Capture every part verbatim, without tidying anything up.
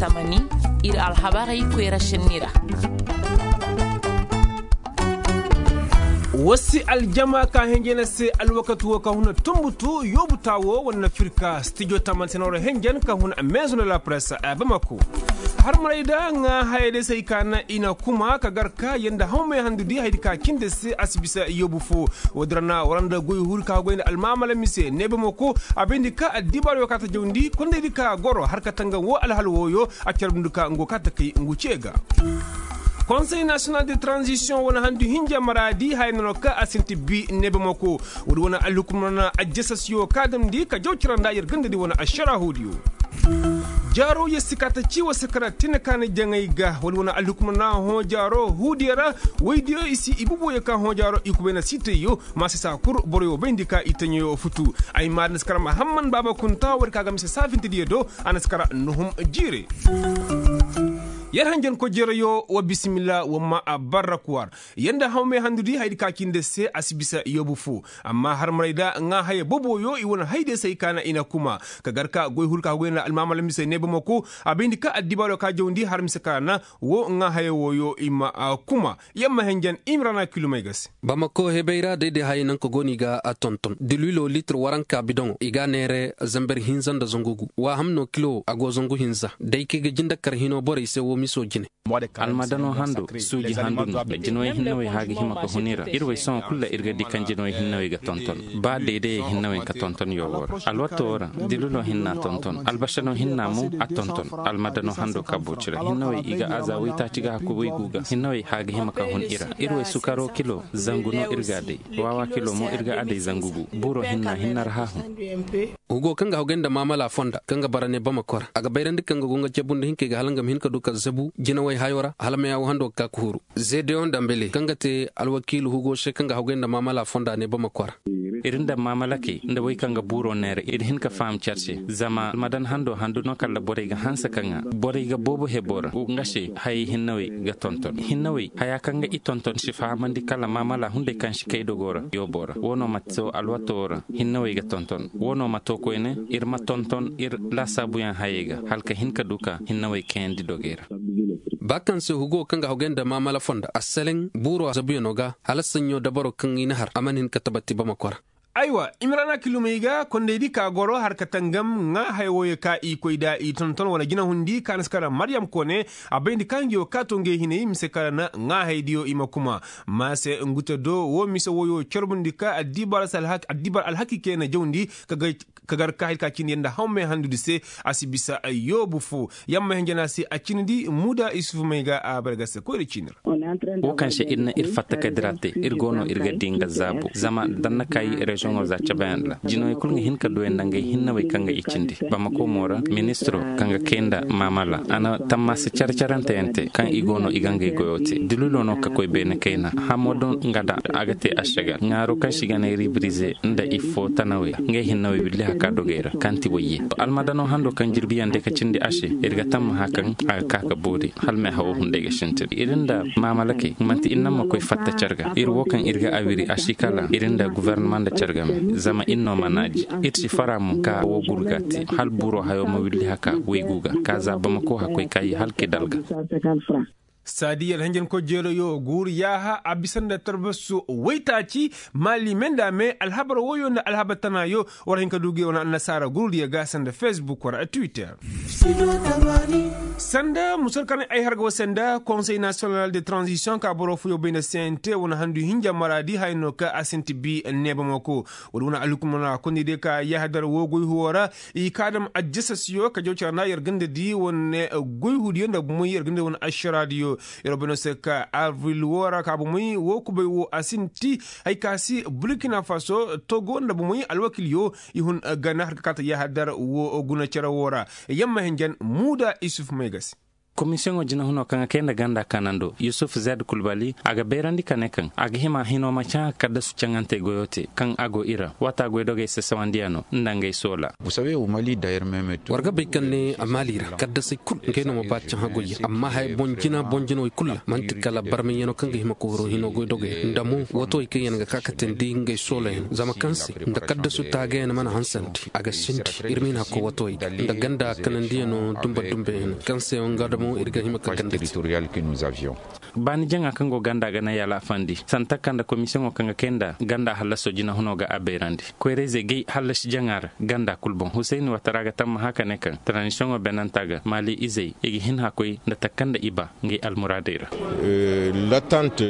Tamani, ir alhabarey koyra šenni ra. Wasi aljama ka henjena se alwakati wo ka huna tumbutu yoobu taawo wane firka stijo taman se na wara henjen ka huna meezo na la presse a bamako. Har maray da ŋaa hayey day se ay ka na i na kuma ka gar ka yanda hawmey handu di haydi ka cindi se a si bisa yoobu fo. Woodin ra na wara nda goy huri ka goy nda almaamala mise ne bamako a bayndi ka addibaaro ka ta jawndi kondaydi ka goro har ka tanga wo alhal wooyo a carbundi ka ngu ka ta kay ngu ce ga. Konsey nasiyonal de tranzisiyoŋ wane handu hinja maraadi haya nono ka a sinti bi neebamako. Woodi wane alhukumana ajjasasiyo ka damndi ka jaw cara nda yer ganda di wane ašara huudiyo. Jaaro yer si ka ta ci wa sakara tine ka na jaŋay ga woodi wane alhukumana hõ jaaro huudiyo ra. Woydiyo i si i bubuwo yer ka hõ jaaro i kubay na siitayyo. Ma si saa kul boroyo bayndi ka i taɲayo futu. Ay ma na si kara mahamman baaba kunta woodi ka ga mise saafintidiyo do. A na si kara nuhum jiire. Yer hanjankoy jereyo wa bisimilla wa ma a barra kuwar. Yer nda hawmey handudi hayadi ka cindi se a si bisa yoobu fo. Amma harmaray da ŋaa haya boboyo i wane haydiyo se ay kaana i na kuma ka gar ka goy hul ka goy nda almaamala mise neebamako. A bayndi ka addibaaro ka jawndi har mise kaana wo ŋaa haya wooyo i ma kuma. Yamma henjen imrana kilomey ga se. Bamako hebey ra day day hayey naŋ ka go no i ga a tonton dilwilo litir waranka bidoŋo i ga a neere zamber hinza nda zangu gu. Waaham no kilo a go zangu hinza day kaŋ i ga jinde kar hino borey se wo miso jine. Almadano hando suuji handu no. Jinawey hinnawey hã ga hima ka hun i ra ir wey sohõ kulu ra ir ga di kaŋ jinawey hinnawey ga tonton. Ba daydayey hinnawey ka tonton yoobo ra alwato wo ra. Dilwilo hinna tonton albasano hinna mo a tonton. Almadano hando kabbo cire hinnawey i ga aza waytaaci ga hakku waygu ga hinnawey hã ga hima ka hun i ra. Ir wey sukaro kilo zangu no ir ga a day. Waawa kilo mo ir ga a day zangu gu. Buuro hinna hinna ra hã hun. Hugo kaŋ ga hogay nda maamala fonda kaŋ ga bara ne bamako ra a ga bayrandi kaŋ ga go nga cebundi hinkey ga hala nga ma hin ka du ka zabu jinawey hayo ra hala meyawo hando ga ka ka huru. Zedeyon dambele kaŋ ga te alwakiilu hugo se kaŋ ga hogay nda maamala fonda ne bamako ra. Ir nda maamalakey nda wey kaŋ ga buuro neera ir hin ka faham care se. Zama almadan hando handu no kala borey ga hanse ka ŋaa borey ga boobo hebo ra nga se hayey hinnawey ga tonton hinnawey haya kaŋ ga i tonton si fahamandi kala maamala hunday kaŋ si kay dogo ra yoobo ra wo no ma to alwato ra. Hinnawey ga tonton wo no ma to koyne ir ma tonton ir laasaabuyaŋ hayey ga hala ka hin ka du ka hinnawey kayandi dogey ra. Ba kaŋ se hugo kaŋ ga hogay nda maamala fonda asseleŋ buuro zabuyaŋo ga hala saɲɲo dabaro kaŋ i na har a mana hin ka tabati bamako ra. Aywa imrana kilumey ga kondaydi ka goro har ka tangam ŋaa haya wooyo ka i koy nda i tonton wala jinahundi ka na si kara maryam koone. A bayndi ka ngi wo ka to ngey hinay mise kara na ŋaa haydiyo i ma kuma. Ma se ngu te do wo mise wooyo carbundi ka addibar alhaki kay na jawndi ka gar ka hay ka cindi yaŋ nda hawmey handudi se. A si bisa yoobu fo. Yamma hinja no a se a cindi muuda isufu may ga a bargase koyra ciini ra. Wo kaŋ se ir na ir fatta ka dira te ir go no ir ga di nga zaabu zama da ni na kaayi reziyoŋo za cabeyaŋ ra jinawey kulu ga hin ka duwey nda ngey hinnawey kaŋ ga i cindi. Bamako mo ra ministiro kaŋ ga kay nda maamala a na tammaasa care caranteyaŋ te kaŋ i go no i ga ngey goyo te dulilo no ka koy beene kayna hamo do nga da a ga te ašagar ŋaaro kaŋ se i ga ne ribirize nda i fo tanawey ngey hinnawey willi haka dogey ra kaŋ ti wayye. Almadano hando kaŋ jirbiyaŋ day ka cindi a se ir ga tammaha kaŋ a ga ka ka boori hala meehawo hunday ga sintin ir nda maamalakey manti ir naŋ ma koy fatta care ga ir wo kaŋ ir ga a wiri a si kala ir nda guvarnama nda care game zama ir no ma naaji. Ir si fara mo ka wo gurga te hala buro hayo ma willi haka waygu ga ka za bamako hakoy kaayi hala kidal ga. Saadi yar henjenkoy jeerayo guuru yaaha a bisa nda tarbasu waytaaci. Maali me nda me alhabar woyo nda alhabar tanaayo war hin ka du ga wane annasaara gurudiyo ga sanda facebook war a twitter. Sanda musar kaŋ ay har ga wasa nda konsey nasiyonal de tranzisiyoŋ ka boro fooyo bay nda cnt wane handu hinja maraadi haya no ka a sinti bi neebamako. Wala wane alhukumana kondey day ka yahadar woo goy huwo ra. I ka dam ajjasasiyo ka jaw cara nda yer ganda di wane goy hudiyo nda bomoy yer ganda di wane ašaraadiyo. Yer bay no se ka avril woo ra ka bomoy woo kubay woo a sinti. Hay ka si burkina faso togo nda bomoy alwakilyo i hun gana har ka kaata yahadar woo guna cere woo ra. Yamma hinjan muuda isuf may ga se. Komisiyoŋo jinahunoo kaŋ ga kay nda ganda kanando yusuf zed kulbali a ga beerandi ka ne kaŋ a ga hima hinoo ma caŋa kaddasu caŋantey goyoo te kaŋ a go i ra waata goydogey sasawandiyanoo nda ngey soola. War ga bay kaŋ ne a maali ra kaddasey kul ngey no ma ba caŋ hagoyyaŋ amma haya boŋ jina boŋ jinawey kul ra man'ti kala barmayyano kaŋ ga hima ka horo hinoo goydogey nda mo watowey kaŋ yaŋ ga ka ka teendi ngey soola yaŋ zama kaŋ se nda kaddasu taagayaŋ mana hansandi a ga sindi. Ir ma hin hakko watowey ga nda ganda kanandiyano dumba dumba yaŋ kaŋ se nga damo ir ga hima ka ganda. Baani jaŋa kaŋ go ganda ga na yalafandi santa kaŋ nda komisiyoŋo kaŋ ga kay nda ganda hallaso jinahunoo ga a beerandi koyra-izey gay hallasi jaŋa ra ganda kul boŋ husayni watara ga tammaha ka ne kaŋ taranisiyoŋo beenantaa ga maali izey i ga hin hakkoy nda takka nda i ba ngey almuraadey ra.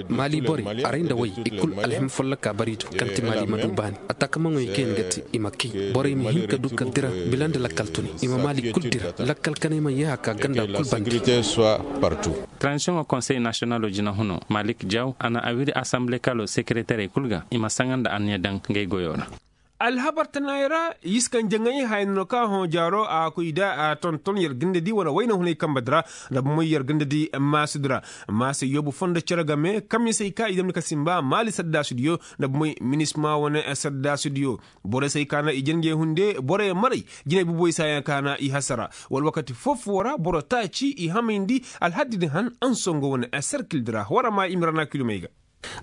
Maali borey aray nda way i kul alhima folloka bariito kaŋ ti maali ma du baani. Ataakamaŋoy kaŋ yaŋ ga te i ma kay borey ma hin ka du ka dira bila nda lakkal tuni i ma maali kul dira lakkal kanay ma yeeha ka ganda kul bandi. Taransiyoŋo konsey nasiyonalo jinahunoo malik jaw a na a wiri asanbile kalo sekeretarey kul ga i ma saŋa nda anniya daŋ ngey goyoo ra. Alhabar tanaayey ra, i si kaŋ jaŋay haya no ka hõ jaaro a koy da a tonton yer gandadi wane wayna hunay kambe di ra. Nda bomoy yer gandadi maasidi ra. Maase yoobu fondo cere game kammisey ka i damni ka simba maali saddaasidiyo. Nda bomoy minisma wane saddaasidiyo. Borey se ay kaana i janjey hunde borey maray jinay buboy se ay kaana i hasara. Wala wakati foo-foo ra boro taaci i hamayndi. Alhaddi din han ansongo wane serkil di ra wara ma i ma rana kilomey ga.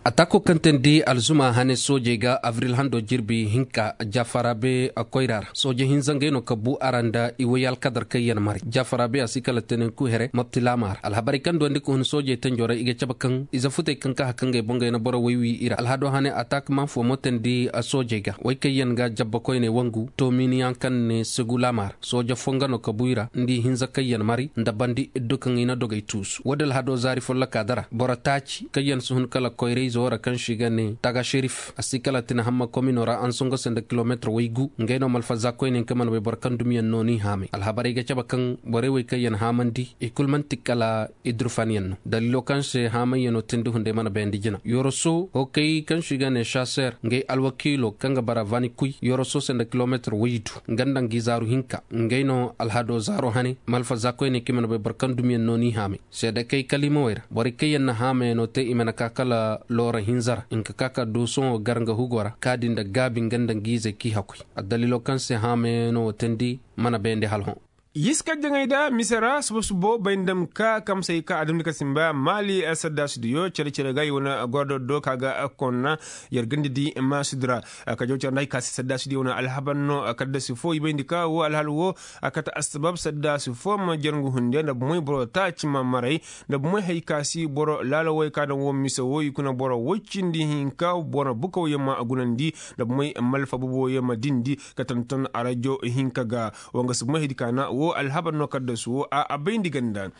Ataako kaŋ teendi alzuma hane soojey ga abril hando jirbi hinka jafaraabe koyra ra sooje hinza ngey no ka bu a ra nda i way alkadar kaŋ yaŋ maray jafaraabe a si kala tenenku here matti laama ra alhabarey kaŋ duwandi ka hun soojey tenjo ra i ga cabe kaŋ ize futey kaŋ ka haka ngey boŋ ga yaŋ boro way wi i ra alhado hane ataak man fo mo teendi soojey ga way kaŋ yaŋ ga jabba koyney wangu toominiyaŋ kaŋ ne segu laama ra sooje fo nga no ka bu i ra nda i hinza kaŋ yaŋ maray nda bandi iddu kaŋ i na dogey tuusu woodin alhado zaari follokaa dara boro taaci kaŋ yaŋ si hun kala koyra-izo ra kaŋ se i ga ne taga serif a si kala tine hamma komino ra ansongo se nda kilometir waygu ngey no malfaza koyne kaŋ mana bay boro kaŋ dumiyaŋ no ni haamay alhabarey ga cabe kaŋ borey wey kaŋ yaŋ haamandi i kul man'ti kala i durfanyaŋ no daliilo kaŋ se haamayyaŋo tindi hunday mana bayandi jina yoroso hokey kaŋ se i ga ne saser ngey alwakiilo kaŋ ga bara vani kuy yoroso se nda kilometir waydu nga nda ngi zaaru hinka ngey no alhado zaaro hane malfaza koyne kaŋ mana bay boro kaŋ dumiyaŋ no ni haamay seedekey kaliimawey ra borey kaŋ yaŋ na haamayaŋo te i mana ka kala loora hinza ra nga ka ka du sohõ gar nga hugo ra kaadi nda gaabi nga nda ngiizey k'i hakuy addaliilo kaŋ se haamayaŋo teendi mana bayndi hala hõ. Yiska jaŋay da mise ra suba-subo bay nda ma ka kamsey ka a damndi ka simba maali saddaasidiyo cere-cere ga i wane gordoddo ka ga konna yer ganda di maasidi ra. Ka jaw care nda hay ka se saddaasidiyo wane alhabar no kaddasi fo i bayndi ka wo alhal wo a kate assabab saddaasi fo ma jarngu hunde nda bomoy boro taaci ma maray nda bomoy hay ka si boro laalawey ka daŋ wo mise wo i kuna boro woy cindi hinka boro bukawyaŋ ma gunandi nda bomoy malfa boboyaŋ ma dindi ka tonton arajo hinka ga. Wanga si bomoy haydi ka na wo alhabar no kaddasu wo a bayndi ganda.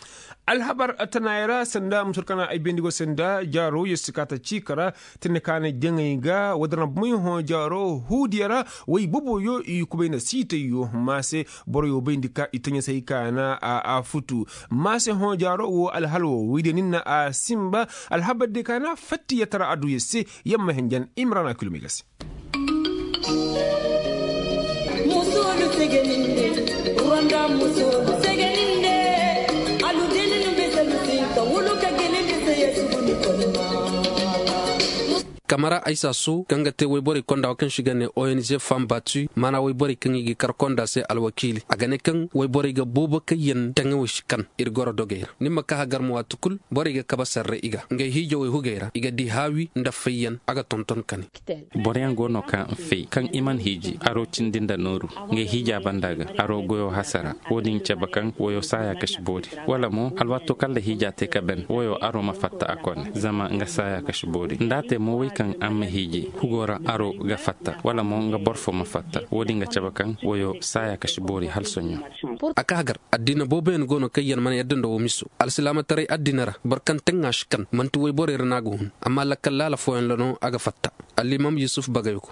Alhabar tanaayey ra sanda musur kana ay bayndi go sanda jaaro yer si ka ta ciika ra tine ka na jaŋay ga wadara bomoy hõ jaaro huudiya ra. Way boboyo i kubay nda siitayyo maase boroyo bayndi ka i taɲasay ka na a futu. Maase hõ jaaro wo alhal wo waydiyo nin na a simba alhabar diyo ka na fattiyatara adduya se. Yamma henjan imrana kilomey ga se. Musoolu segeninde ronda musoolu segeninde. Alu gelinu be selu sinka wulu ka gelinde seye suguni kolma. Kamara aysa su kaŋ ga te wayborey konda wa kaŋ se i ga ne ong fam batu maana wayborey kaŋ i ga kar konda se alwakiili a ga ne kaŋ wayborey ga boobo kaŋ yaŋ taŋawey si kan ir goro dogey ra ni ma ka hagar ma waati kul borey ga kabe sarre i ga ngey hiijawey hugey ra i ga di haawi nda fayyan a ga tonton kani. Boroyaŋ go no ka fay kaŋ i mana hiiji aro cindi nda nooru ngey hiija banda ga aro goyo hasara. Wo-din cabe kaŋ woyo saaya kasi boori wala mo alwaato kaŋ nda hiija te ka ben woyo aro ma fatta a kone zama nga saaya kasi boori nda a te mo wey kaŋ araŋ ma hiiji hugo ra aro ga fatta wala mo nga boro fo ma fatta wo-din ga cabe kaŋ woyo saaya kasi boori hala soɲõ. A ka hagar addiina booboyaŋ go no kaŋ yaŋ mana yadda nda wo miso alsilaamataray addiina ra boro kaŋ taŋa si kan man'ti wayborey ra no a ga hun amma lakkal laala fooyaŋ ra no a ga fatta. Allimam yusuf bagayko.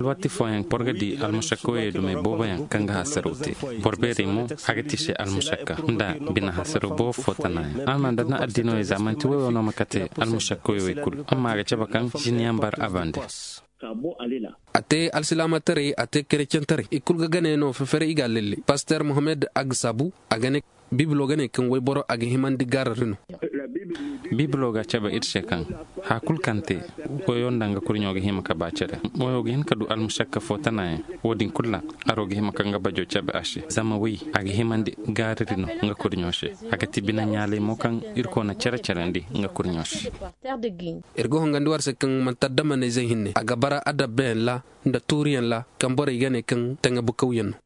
Alwaati fooyaŋ boro ga di almušakkoyey dumey booboyaŋ kaŋ ga hasaraw te. Boro beerey mo a ga ti se almušakka nda bine hasaraw boobo fo tanaayaŋ araŋ ma nda na addiinoyey za man'ti woyo no ma kate almušakkoyey wey kul amma a ga cabe kaŋ jiniyaŋ bar a bande. A te alsilaamataray a te kerecentarey i kul ga gane no fefere i ga a lelle paster mohammed agsabu a ga ne. Biibiloo ga ne kaŋ wayboro a ga himandi gaarari no. Biibiloo ga a cabe ir se kaŋ haya kul kaŋ te, wayo nda nga kurɲo ga hima ka ba cere. Wayo ga hin ka du almušakka fo tanayaŋ. Wo-din kul ra, aro ga hima ka nga bajo cabe a se zama way, a ga himandi gaarari no nga kurɲo se. A ga ti bine ɲaalay mo kaŋ irkoy na cere-cerandi nga kurɲo se. Ir ga hongandi war se kaŋ manti addamaney zey hinne a ga bara adabbeyaŋ ra, nda tuuriyaŋ ra kaŋ borey ga ne kaŋ taŋa bukawyaŋ no.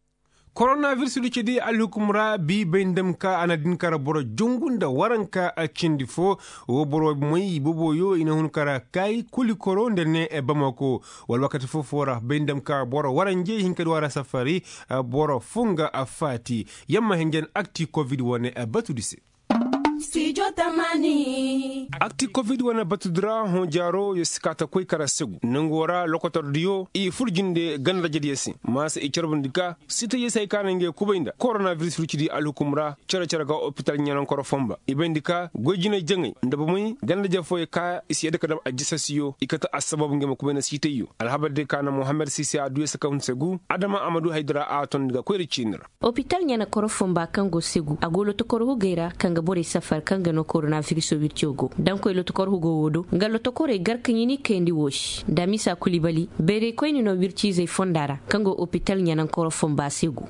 Koronabiris du cidi alhukum ra bi bay nda ma ka a na din kara boro jungu nda waranka cindi fo. Wo boro moy boboyo i na hun kara kay kuli koro nda ne bamako. Wala wakati fofo ra bay nda ma ka boro waranje hinka di wara safari. Boro funga a faati yamma hinjan akti kovid wane batudi se. Akti kovid wane batudi ra hõ jaaro yo si ka ta koy kara segu nango ra lokotor diyo i fur jinde ganda jadiyo se. Maasa i carbundi ka sitayyo se hay ka na ngey kubay nda koronabiris rucidi alhukum ra. Cere-cere ga opital ɲanankoro fonba i bayndi ka goy jinay jaŋay nda bomey ganda jafooyo ka i si yadda ka dam ajjasasiyo i kate assabab ngey ma kubay nda sitayyo alhabar day ka na mohammed sise a duyo se ka hun segu adama a ma du haydara a tondi ga koyra ciini ra. Opital ɲana koro fomba kaŋ go segu a go lotokor hugey ra kaŋ ga borey safar kaŋ ga no koronabiriso wirco go daŋ koy lotokor hugo wo do nga lotokorey gar ka ɲini kayandi wo se damisa kulibali bayraykoyni no wirciizey fonda ra kaŋ go opital ɲanaŋ koro fomba segu.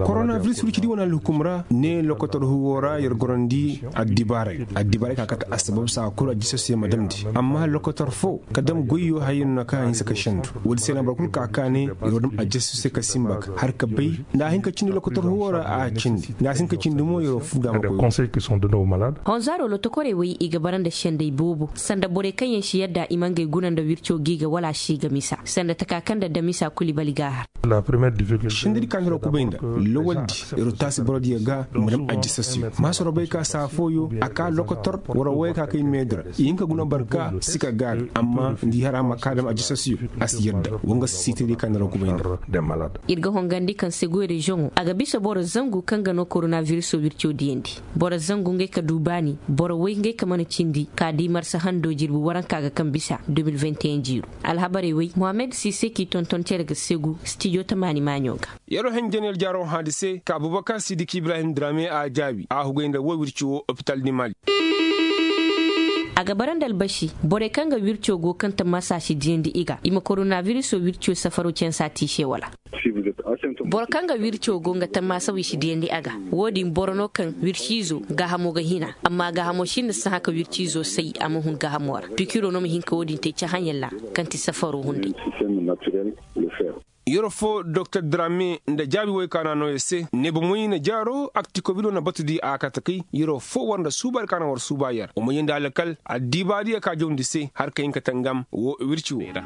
Koronabiris wircidi wane alhukum ra ne lokotor hugo ra yer gorandi addibaaray addibaaray ka kate assabab saa kulu addisasiyo ma damndi amma lokotor fo ka dam goyyo hayyo no na kaŋ a hinsa ka sendu. Woodi se na boro kulu ka kaane yer wo dam addisasiyo se ka simba ka har ka bay nda a hin ka cindi lokotor hugo ra a cindi nda a si hin ka cindi mo yer wo fuuda ma koy. Honzaaro lotokorey wey i ga bara nda sendey boobo sanda borey kaŋ yaŋ si yadda i ma ngey guna nda wirco gi ga wala a si ga misa sanda taka kaŋ nda damisa kulibali ga a har. Sendedi kaŋ yer wo kubay nda lawaldi yer wo taasi borodiyo ga ma dam addisasiyo maasoro bay ka saa fooyo a ka lokotor war wo ya ka kay meedi ra i hin ka guna barka si ka gaari amma nda i har a ma ka dam addisasiyo a si yadda. Wanga si sitedi kaŋ yer wo kubay nda. Ir ga hongandi kaŋ segu reziyoŋo a ga bisa boro zangu kaŋ ga no koronabiriso wirco diyandi. Boro zangu ngey ka du baani boro woy ngey ka mana cindi ka di marsa hando jirbi waranka ga kaŋ bisa de mil vingt et un jiiru. Alhabarey woy mohammed sise k'i tonton cere ga segu stijo tamaani maaɲo ga. Yer wo henjen yer jaaro haadi se ka abubakar sidiki ibrahim drame a jaabi a hugay nda wo wirci wo opital di mali. A ga bara nda albasi borey kaŋ ga wirco go kaŋ ta masa si diyandi i ga i ma koronabiriso wirco safaro cansa te i se wala? Boro kaŋ ga wirco go nga tammaasa wi si diyandi a ga. Wo-din boro no kaŋ wirciizo gaahamo ga hina amma gaahamo sinda sahã ka wirciizo say a ma hun gaahamo ra pikiro no ma hin ka wo-din te cahãyaŋ ra kaŋ ti safaro hunday. Yer fo doktor drame nda jaabi woy kaŋ a na noo yer se ne bomey na jaaro akti kobido na batu di a kate kay yer fo war nda suubaari kaŋ a na war suuba yer wa ma yee nda alkal addiibaadiyo ka jawndi se har ka hin ka tangam wo wirci wo ra.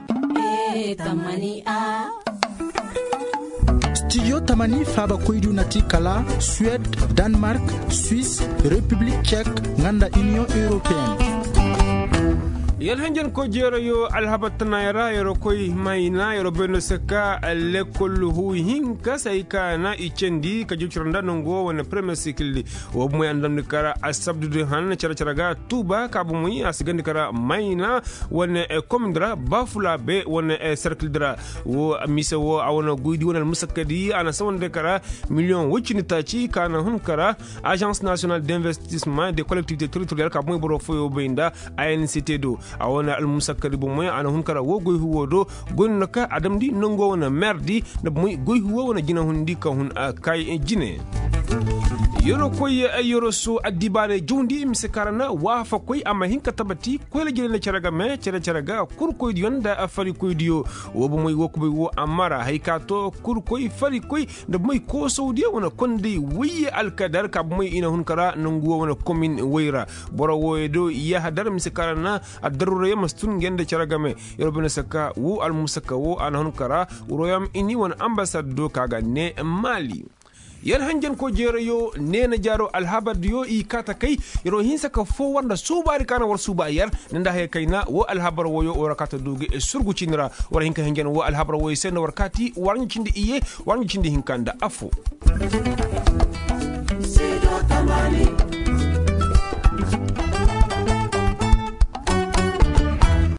Stijo tamani faabakoydiyo na ti kala suwed, danmark, swis, repiblik cek, nga nda iniyoŋ europeen. Yer hanjankoy jeerayo alhabar tanaaya ra yer koy mayna yer bay no se ka lekkol huu hinka se hay ka na i candi ka jawcira nda nangu wo wane premiyer sikil di. Wo bomey a na damndi kara asabdu di han cere-cere ga tuuba ka bomey a si gandi kara mayna wane komindi ra bafulaabe wane serkil di ra. Wo mise wo a wane goydi wane almusakkadi a na sawandi kara miliyoŋ woy cindi taaci ka na hun kara azans nasiyonal d'investisma de kollektivite teritoriyal ka bomey boro fooyo bay nda anct do. A wane almusakkadi bomey a na hun kara wo goy huwo do goy no na ka a damndi nango wane merdi nda bomey goy huwo wane jinahundi ka hun kay jine. Yeroo koy yeroo soo addibaarey jawndi mise kaŋ ra na waafakoy a ma hin ka tabati koyra jiney nda cere game cere-cere ga kurkoydiyo nda farikoydiyo. Woo bomey woo kubay woo a mara hay ka too kurkoy farikoy nda bomey koosawdiyo wane konday woyye alkadar ka bomey i na hun ka ra nangu woo wane komin woy ra. Boro wooyo do yahadar mise kaŋ ra na addaruurayaŋ ma si tun ngey nda cere game. Yeroo bine saka woo almusaka woo a na hun ka ra royom ini wane ambasad do ka ga ne maali. Yer hanjanko jeerayo neena jaaro alhabar diyo i kaata kay. Yeroo hinsa ka foo war nda suubaari ka na war suuba yer nda nda haya kayna woo alhabar wooyo war kaata du ga surgu ciini ra. War hin ka hanjan woo alhabar wooyo se nda war kaati war ɲa cindi iyye war ɲa cindi hinka nda affoo.